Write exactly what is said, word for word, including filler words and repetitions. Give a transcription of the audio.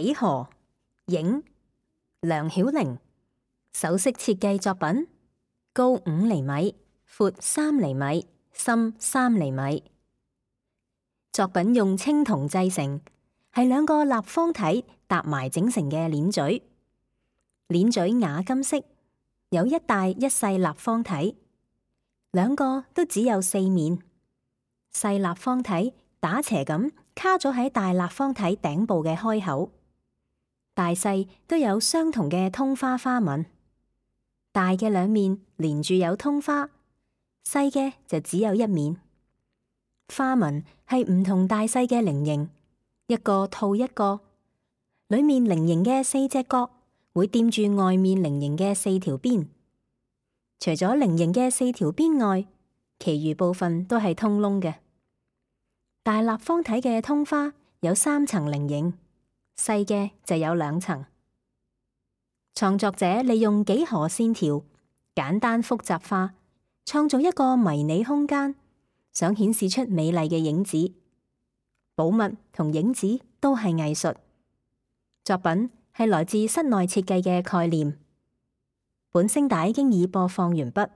幾何影梁曉玲首飾設計作品，高五厘米，闊三厘米，深三厘米。作品用青銅製成，係兩個立方體搭埋整成嘅鏈嘴。鏈嘴瓦金色，有一大一細立方體，兩個都只有四面。細立方體打斜咁卡咗喺大立方體頂部嘅開口，大細都有相同嘅通花花紋。大嘅兩面連住有通花，細嘅就只有一面。花紋係唔同大細嘅菱形，一個套一個，裏面菱形嘅四隻角會掂住外面菱形嘅四條邊。除咗菱形嘅四條邊外，其餘部分都係通窿嘅。大立方體嘅通花有三層菱形，細嘅就有兩層。創作者利用幾何線條，簡單複雜化，創造一個迷你空間，想顯示出美麗嘅影子。寶物同影子都係藝術。作品係來自室內設計嘅概念。本聲帶經已播放完畢。